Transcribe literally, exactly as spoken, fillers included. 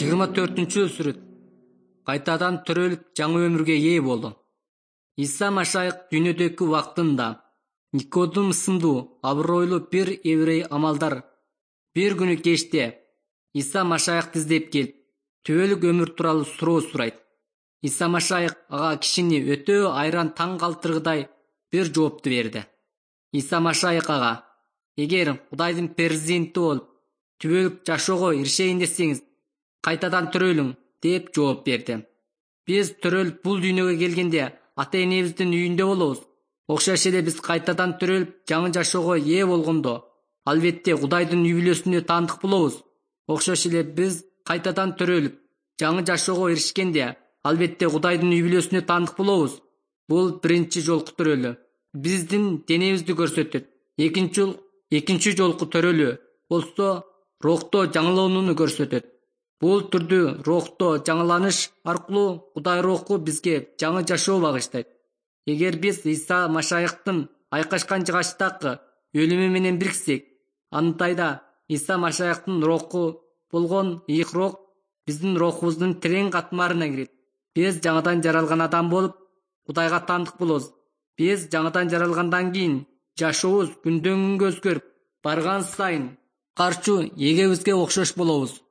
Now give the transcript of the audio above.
жыйырма төртүнчү сүрөт. Кайтадан төрөлүп жаңы өмүргө ээ болду. Иса Машайык дүйнөдөгү убактында Никодим сындуу абройлуу бир еврей амалдар бир күнү кечте Иса Машайыкты издеп келип, түбөлүк өмүр тууралуу суроо сурайт. Иса Машайык ага кишини өтө айран таң калтыргыдай бир жоопту берди. Иса Машайык ага: «Эгер Кудайдын перзенти болуп, түбөлүк жашоого иришейин десеңиз, кайтадан төрөлүң», деп жооп берди. Биз төрөлүп бул дүйнөгө келгенде ата-энебиздин үйүндө болобуз. Окшош эле биз кайтадан төрөлүп жаңы жашоого ээ болгондо, албетте Кудайдын үй бүлөсүнө таандык болобуз. Окшош эле биз кайтадан төрөлүп жаңы жашоого эришкенде, албетте Кудайдын үй бүлөсүнө таандык болобуз. Бул биринчи жолку төрөлүү. Биздин денебизди көрсөтөт. Экинчи экинчи жолку төрөлүү болсо рухто жаңыланууну көрсөтөт. Бул түрдүү рухто жаңыланыш аркылуу Кудай руху бизге жаңы жашоо багыштайт. Эгер биз Иса Машайыктын айкашкан жыгачтагы өлүмү менен бириксек, андайда Иса Машайыктын руху болгон ыйык рух биздин рухубуздун терең катмарына кирет. Биз жаңыдан жаралган адам болуп, Кудайга таандык болобуз. Биз жаңыдан жаралгандан кийин жашообуз күндөн күнгө өзгөрүп, барган сайын карчу эгебизге окшош болобуз.